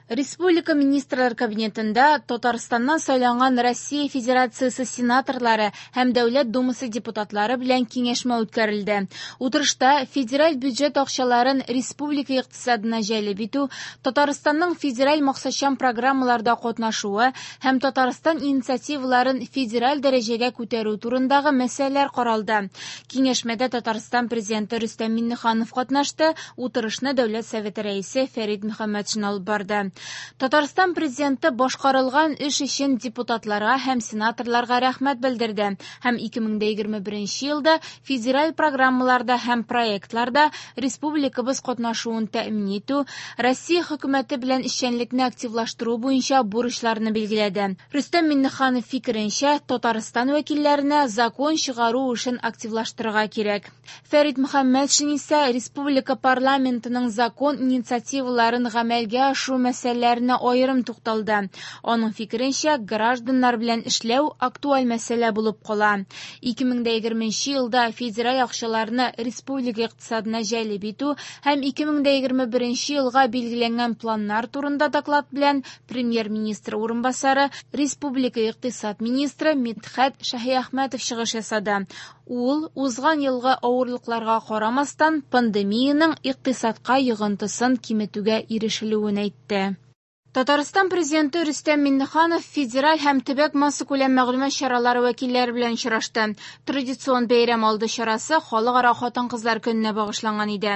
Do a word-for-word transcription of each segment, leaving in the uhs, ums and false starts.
Республика Министрлар Кабинетында Татарстаннан сайланган Россия Федерациясе сенаторлары һәм Дәүләт Думасы депутатлары белән киңәшмә үткәрелде. Утырышта федераль бюджет акчаларын республика икътисадына җәлеп итү, Татарстанның федераль максатчан программаларда катнашуы һәм Татарстан инициативаларын федераль дәрәҗәгә күтәрү турындагы мәсьәләләр каралды. Киңәшмәдә Татарстан Президенты Рөстәм Миңнеханов катнашты, утырышны Дәүләт Советы рәисе Фәрит Мөхәммәтшин алып барды. Татарстан Президенты башкарылган эш өчен депутатларга һәм сенаторларга рәхмәт белдерде һәм ике мең егерме беренче елда федераль программаларда һәм проектларда республикабыз катнашуын тәэмин итү, Россия хөкүмәте белән эшчәнлекне активлаштыру буенча бурычларны билгеләде. Рөстәм Миңнеханов фикеренчә, Татарстан вәкилләренә закон чыгару эшен активлаштырырга кирәк. Фәрит Мөхәммәтшин исә республика парламентының закон инициативаларын гамәлгә ашыру мәсьәләләренә аерым тукталды. Аның фикеренчә, гражданнар белән эшләү актуаль мәсьәлә булып кала. ике мең егерменче елда федераль акчаларны республика икътисадына җәлеп итү һәм ике мең егерме беренче елга билгеләнгән планнар турында доклад белән премьер-министр урынбасары, республика икътисад министры Мидхәт Шаһиәхмәтов чыгыш ясады. Ул узган елгы авырлыкларга карамастан пандемиянең икътисадка йогынтысын киметүгә ирешелүен әйтте. Татарстан Президенты Рөстәм Миңнеханов федераль һәм төбәк массакүләм мәгълүмат чаралары вәкилләре белән очрашты. Традицион бәйрәм алды чарасы Халыкара хатын-кызлар көненә багышланган иде.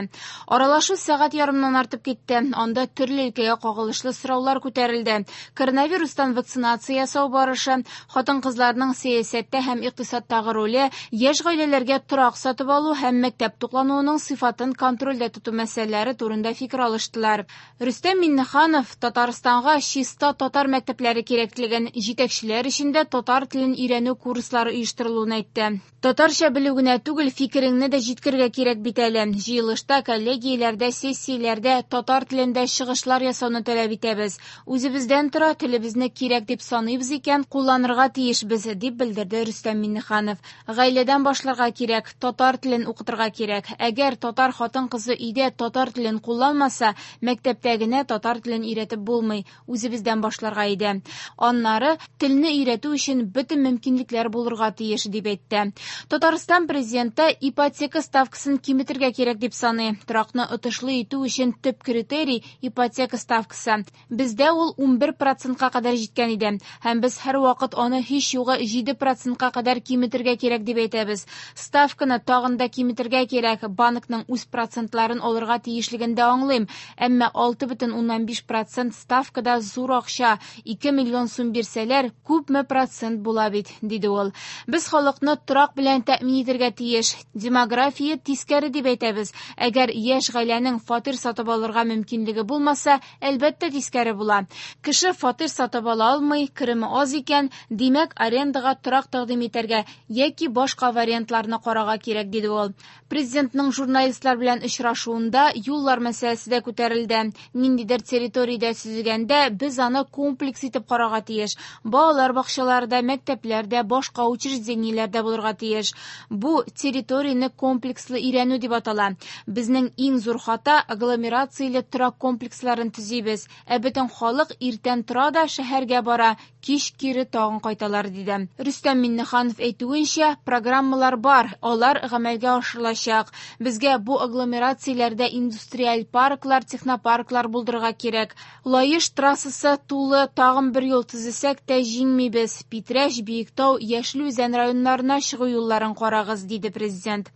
Аралашу сәгать ярымнан артып китте. Анда төрле өлкәгә кагылышлы сораулар күтәрелде. Коронавирустан вакцинация ясау барышы, хатын-кызларның сәясәттә һәм икътисадтагы роле, яшь гаиләләргә торак сатып алу һәм мәктәп туклануының сыйфатын контрольдә тоту мәсьәләләре турында фикер алыштылар. Рөстәм Миңнеханов Татарстан чиста татар мәктәпләре кирәклеген, җитәкчеләр өчен дә татар телен өйрәнү курслары оештырылуын әйтте. Татарча белү генә түгел, фикереңне дә җиткерергә кирәк бит әле. Җыелышта, коллегияләрдә, сессияләрдә татар телендә чыгышлар ясауны таләп итәбез. Үзебездән тора, телебезне кирәк дип саныйбыз икән, кулланырга тиешбез, дип белдерде Рөстәм Миңнеханов. Гаиләдән башларга кирәк, татар телен укытырга кирәк. Әгәр татар хатын-кызы өйдә татар телен кулланмаса, мәктәптә генә татар телен өйрәтеп булмый. Үзебездән башларга иде. Аннары телне өйрәтү өчен бөтен мөмкинлекләр булырга тиеш, дип әйтте. Татарстан Президенты ипотека ставкасын киметергә кирәк дип саный. Торакны отышлы итү өчен төп критерий ипотека ставкасы. Бездә ул унбер процентка кадәр җиткән иде. Һәм без һәрвакыт аны һич югы җиде процентка кадәр киметергә кирәк дип әйтәбез. Ставканы тагын да киметергә кирәк. Банкның үз процентларын алырга тиешлеген дә аңлыйм. Әмма алты бөтен уннан биш процент ставкада зур акча, ике миллион сум бирсәләр, күпме процент була бит, диде ул. Без халыкны торак белән тәэмин итәргә тиеш. Демография тискәре дип әйтәбез. Әгәр яшь гаиләнең фатир сатып алырга мөмкинлеге булмаса, әлбәттә тискәре була. Кеше фатир сатып ала алмый, кереме аз икән, димәк, арендага торак тәкъдим итәргә яки башка вариантларны карарга кирәк, диде ул. Президентның журналистлар белән очрашуында юллар мәсьәләсе дә күтәрелде. Ниндидер территориядә төзегәндә без аны комплекс итеп карарга тиеш. Балалар бакчаларында, мәктәпләрдә, башка учреждениеләрдә булырга тиеш. Бу территорияне комплекслы өйрәнү дип атала. Безнең иң зур хата агломерацияле торак комплексларын төзибез. Ә бөтен халык иртән тора да шәһәргә бара, кич кире тагын кайталар, диде. Рөстәм Миңнеханов әйтүенчә, программалар бар, алар гамәлгә ашырылачак. Безгә бу агломерацияләрдә индустриаль парклар, технопарклар булдырырга кирәк. Лаеш трассасы тулы тагын бер юл төзесәк тә җиңмибез. Питрәч, Биектау, Яшел Үзән районнарына чыгу юлларын карагыз, диде президент.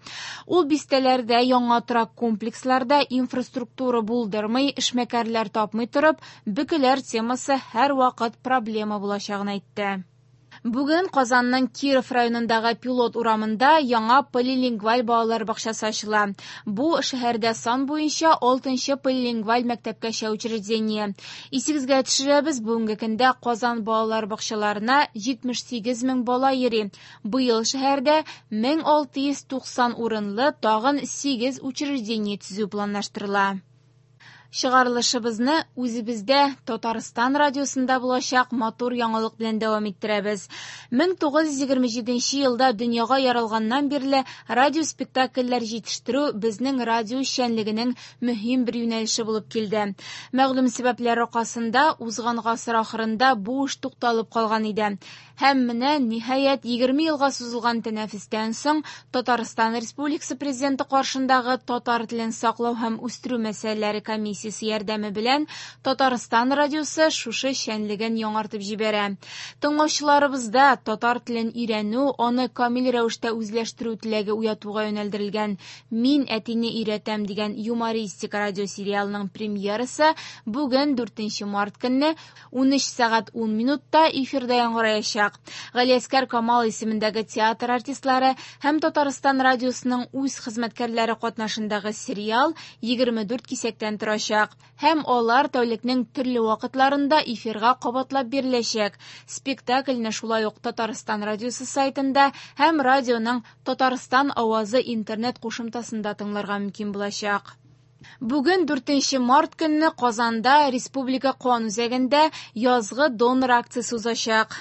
Ул бистәләрдә яңа торак комплексларда инфраструктура булдырмый, эшмәкәрләр тапмый торып, бөкеләр темасы һәрвакыт проблема булачагын әйтте. Бүген Казанның Киров районындагы Пилот урамында яңа полилингваль балалар бакчасы ачыла. Бу шәһәрдә сан буенча алтынчы полилингваль мәктәпкәчә учреждение. Исегезгә төшерәбез, бүгенге көндә Казан балалар бакчаларына җитмеш сигез мең бала йөри. Быел шәһәрдә мең алты йөз туксан урынлы тагын сигез учреждение төзү планлаштырыла. Чыгарылышыбызны үзебездә, Татарстан радиосында булачак матур яңалык белән дәвам иттерәбез. мең тугыз йөз егерме җиденче елда дөньяга яралганнан бирле радиоспектакльләр җитештерү безнең радио эшчәнлегенең мөһим бер юнәлеше булып килде. Мәгълүм сәбәпләр аркасында узган гасыр ахырында бу эш тукталып калган иде. Һәм менә ниһаять егерме елга сузылган тәнәфестән соң Татарстан Республикасы Президенты каршындагы татар телен саклау һәм үстерү мәсьәләләре комиссиясе ярдәме белән Татарстан радиосы шушы эшчәнлеген яңартып җибәрә. Тыңлаучыларыбызда татар телен өйрәнү, аны камил рәвештә үзләштерү теләге уятуга юнәлдерелгән Мин әтине өйрәтәм дигән юмористик радиосериалның премьерасы бүген дүртенче март көнне унөч сәгать ун минутта эфирда яңгыраячак. Галиәсгар Камал исемендәге театр артистлары һәм Татарстан радиосының үз хезмәткәрләре катнашындагы сериал егерме дүрт кисәктән торачак һәм алар тәүлекнең төрле вакытларында эфирга кабатлап биреләчәк. Спектакльне шулай ук Татарстан радиосы сайтында һәм радионың Татарстан авазы интернет кушымтасында тыңларга мөмкин булачак. Бүген дүртенче март көнне Казанда Республика кан үзәгендә язгы донор акциясе узачак.